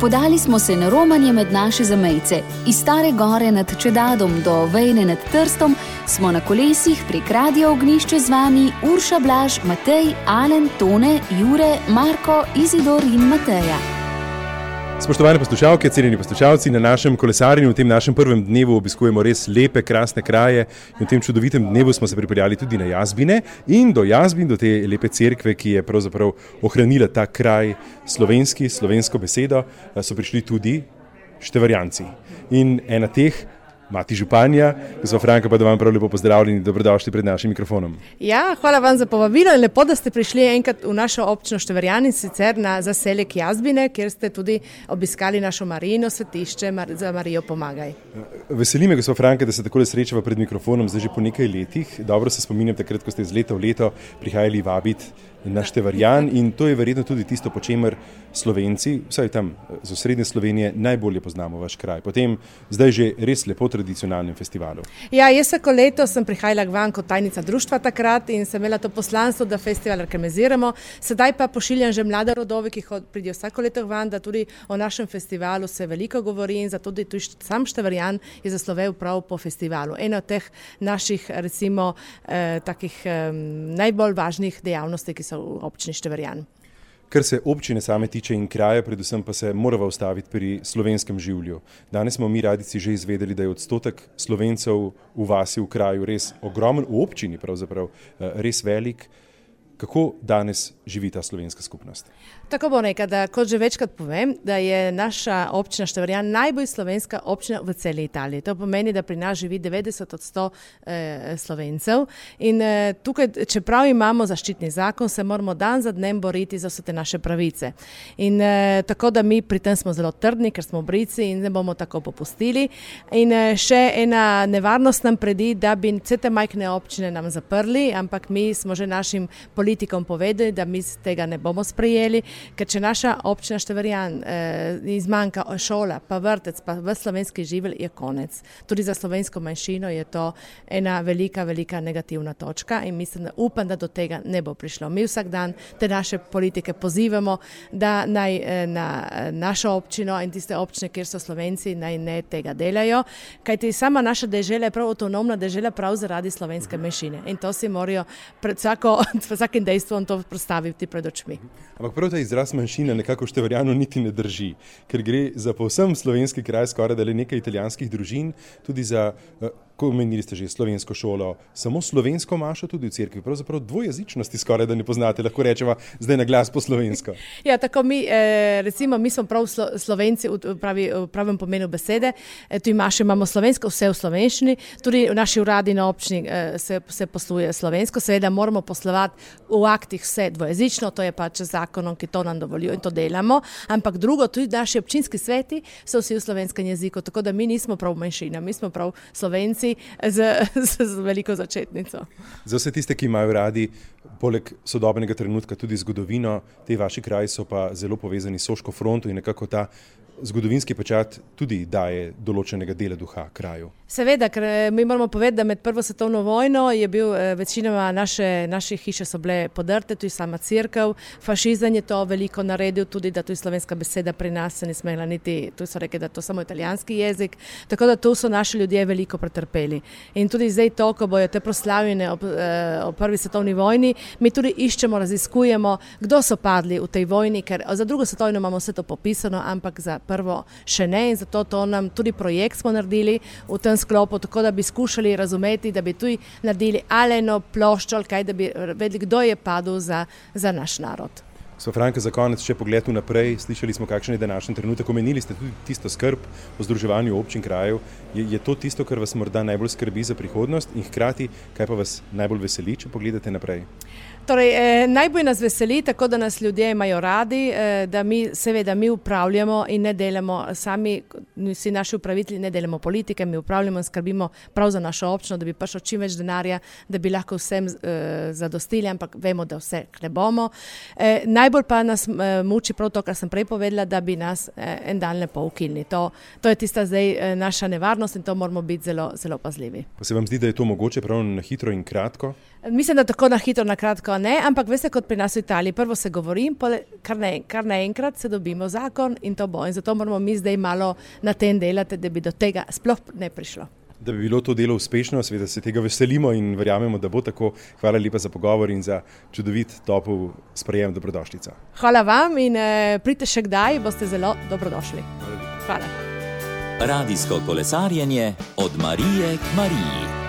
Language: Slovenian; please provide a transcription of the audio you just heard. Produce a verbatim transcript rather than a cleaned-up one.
Podali smo se na romanje med naše zamejce. Iz Stare Gore nad Čedadom do Vejne nad Trstom smo na kolesih prek Radia Ognjišče z vami Urša, Blaž, Matej, Alen, Tone, Jure, Marko, Izidor in Mateja. Spoštovane poslušalke, cenjeni poslušalci, na našem kolesarjenju v tem našem prvem dnevu obiskujemo res lepe, krasne kraje in v tem čudovitem dnevu smo se pripeljali tudi na Jazbine in do Jazbin, do te lepe cerkve, ki je pravzaprav ohranila ta kraj slovenski, slovensko besedo, so prišli tudi Števarjanci. In ena teh, mati županja, gospa Franka, pa da vam prav lepo pozdravljeni, dobrodošli pred našim mikrofonom. Ja, hvala vam za povabilo in lepo, da ste prišli enkrat v našo občino Števarjani, sicer na zaselek Jazbine, kjer ste tudi obiskali našo Marijino svetišče za Marijo Pomagaj. Veseli me, gospa Franka, da se takole srečava pred mikrofonom, zdaj že po nekaj letih. Dobro se spominjam takrat, ko ste iz leta v leto prihajali vabiti na Števarjan in to je verjetno tudi tisto, po čemer Slovenci, vsaj tam z osrednje Slovenije, najbolje poznamo vaš kraj. Potem zdaj že res lepo tradicionalnem festivalu. Ja, jaz vsako leto sem prihajala k vam kot tajnica društva takrat in sem imela to poslanstvo, da festival organiziramo. Sedaj pa pošiljam že mlade rodove, ki pridijo vsako leto k vam, da tudi o našem festivalu se veliko govori in zato tudi sam Števarjan je zaslovel prav po festivalu. Ena od teh naših, recimo, eh, takih eh, najbolj važnih dejavnosti, ki so v občini Števarjan. Kar se občine same tiče in kraja, predvsem pa se morava ustaviti pri slovenskem življu. Danes smo mi radici že izvedeli, da je odstotek Slovencev v vasi, v kraju res ogromen, v občini pravzaprav res velik. Kako danes živi ta slovenska skupnost? Tako bom rekla, da kot že večkrat povem, da je naša občina Števarjan najbolj slovenska občina v celi Italiji. To pomeni, da pri nas živi devetdeset odstotkov eh, Slovencev in eh, tukaj, čeprav imamo zaščitni zakon, se moramo dan za dnem boriti za vse te naše pravice. In eh, tako, da mi pri tem smo zelo trdni, ker smo brici in ne bomo tako popustili. In eh, še ena nevarnost nam predi, da bi vse te majhne občine nam zaprli, ampak mi smo že našim politikom povedali, da mi tega ne bomo sprejeli, ker če naša občina Števarjan eh, izmanjka šola, pa vrtec, pa v slovenski živelj, je konec. Tudi za slovensko manjšino je to ena velika, velika negativna točka in mislim, da upam, da do tega ne bo prišlo. Mi vsak dan te naše politike pozivamo, da naj eh, na našo občino in tiste občine, kjer so Slovenci, naj ne tega delajo, kajti sama naša dežela je prav avtonomna dežela prav zaradi slovenske manjšine in to si morajo pred vsako, vsakim dejstvom to predstaviti pred očmi. Ampak prav ta izraz manjšina nekako v Števarjanu niti ne drži, ker gre za povsem slovenski kraj, skoraj da le nekaj italijanskih družin, tudi za, ko omenili ste že slovensko šolo, samo slovensko mašo tudi v cerkvi, pravzaprav dvojezičnosti skoraj da ne poznate, lahko rečeva zdaj na glas po slovensko. Ja, tako mi, recimo, mi smo prav Slovenci v, pravi, v pravem pomenu besede, tu imaš, imamo slovensko, vse v slovenščini, tudi v naši uradi na občini se, se posluje slovensko, seveda moramo poslovati v aktih vse dvojezično, to je pač zakonom, ki to nam dovolijo in to delamo, ampak drugo, tudi naši občinski sveti so vsi v slovenskem jeziku, tako da mi nismo prav manjšina, mi smo prav Slovenci z, z, z veliko začetnico. Za vse tiste, ki imajo radi poleg sodobnega trenutka tudi zgodovino, te vaši kraji so pa zelo povezani s Soško fronto in nekako ta zgodovinski pečat tudi daje določenega dela duha kraju. Seveda, ker mi moramo povedati, da med prvo svetovno vojno je bil večinoma naše, naše hiše so bile podrte, tudi sama cerkev, fašizem je to veliko naredil, tudi da tu je slovenska beseda pri nas se ne smela niti, tu so rekli, da to samo italijanski jezik, tako da tu so naši ljudje veliko pretrpeli. In tudi zdaj to, ko bojo te proslavljene ob, ob prvi svetovni vojni, mi tudi iščemo, raziskujemo, kdo so padli v tej vojni, ker za drugo svetovno imamo vse to popisano, ampak za prvo še ne in zato to nam tudi projekt smo naredili v tem sklopu, tako da bi skušali razumeti, da bi tudi naredili aleno ploščo, kaj da bi vedeli, kdo je padel za, za naš narod. Gospa Franka, za konec še pogled vnaprej. Slišali smo, kakšen je današnji trenutek. Omenili ste tudi tisto skrb o združevanju občin krajev. Je, je to tisto, kar vas morda najbolj skrbi za prihodnost in hkrati, kaj pa vas najbolj veseli, če pogledate naprej? Torej, eh, najbolj nas veseli, tako da nas ljudje imajo radi, eh, da mi seveda mi upravljamo in ne delamo sami, vsi naši upravitelji ne delamo politike, mi upravljamo in skrbimo prav za našo občino, da bi prišlo čim več denarja, da bi lahko vsem eh, zadostili, ampak vemo, da vse ne bomo. Eh, najbolj pa nas uh, muči prav to, kar sem prej povedala, da bi nas uh, en dan lepo ukinili. To, to je tista zdaj uh, naša nevarnost in to moramo biti zelo, zelo pazljivi. Pa se vam zdi, da je to mogoče prav na hitro in kratko? Mislim, da tako na hitro, na kratko ne, ampak veste, kot pri nas v Italiji, prvo se govori, kar, ne, kar naenkrat se dobimo zakon in to bo. In zato moramo mi zdaj malo na tem delati, da bi do tega sploh ne prišlo. Da bi bilo to delo uspešno, seveda se tega veselimo in verjamemo, da bo tako. Hvala lepa za pogovor in za čudovit, topel sprejem, dobrodošlica. Hvala vam in eh, pridite še kdaj, boste zelo dobrodošli. Hvala. Hvala. Radijsko kolesarjenje od Marije k Mariji.